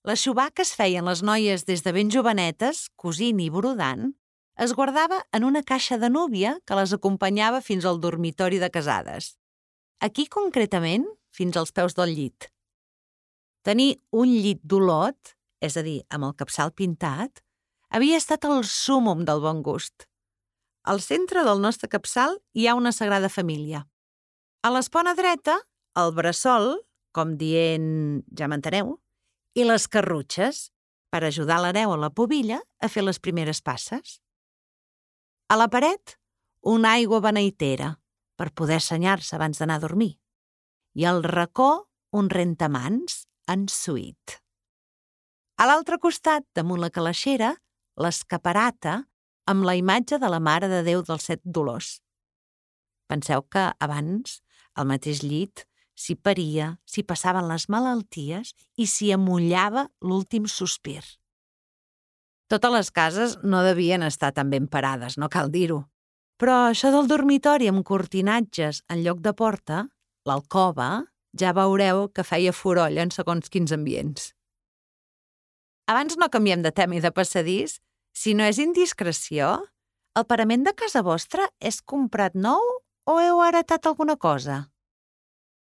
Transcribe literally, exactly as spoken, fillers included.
L'aixovar que es feien les noies des de ben jovenetes, cosint i brodant, es guardava en una caixa de núvia que les acompanyava fins al dormitori de casades. Aquí, concretament, fins als peus del llit. Tenir un llit d'olot, és a dir, amb el capçal pintat, havia estat el súmmum del bon gust. Al centre del nostre capçal hi ha una Sagrada Família. A l'espona dreta, el bressol, com dient, ja m'enteneu, i les carrutxes, per ajudar l'hereu o la pubilla a fer les primeres passes. A la paret, una aigua beneitera, per poder assenyar-se abans d'anar a dormir. I al racó, un rentamans en suït. A l'altre costat, damunt la calaixera, l'escaparata amb la imatge de la Mare de Déu dels Set Dolors. Penseu que abans, al mateix llit, s'hi paria, s'hi passaven les malalties i s'hi amullava l'últim sospir. Totes les cases no devien estar tan ben parades, no cal dir-ho. Però això del dormitori amb cortinatges en lloc de porta, l'alcova, ja veureu que feia forolla en segons quins ambients. Abans no canviem de tema i de passadís, si no és indiscreció, el parament de casa vostra és comprat nou o heu heretat alguna cosa?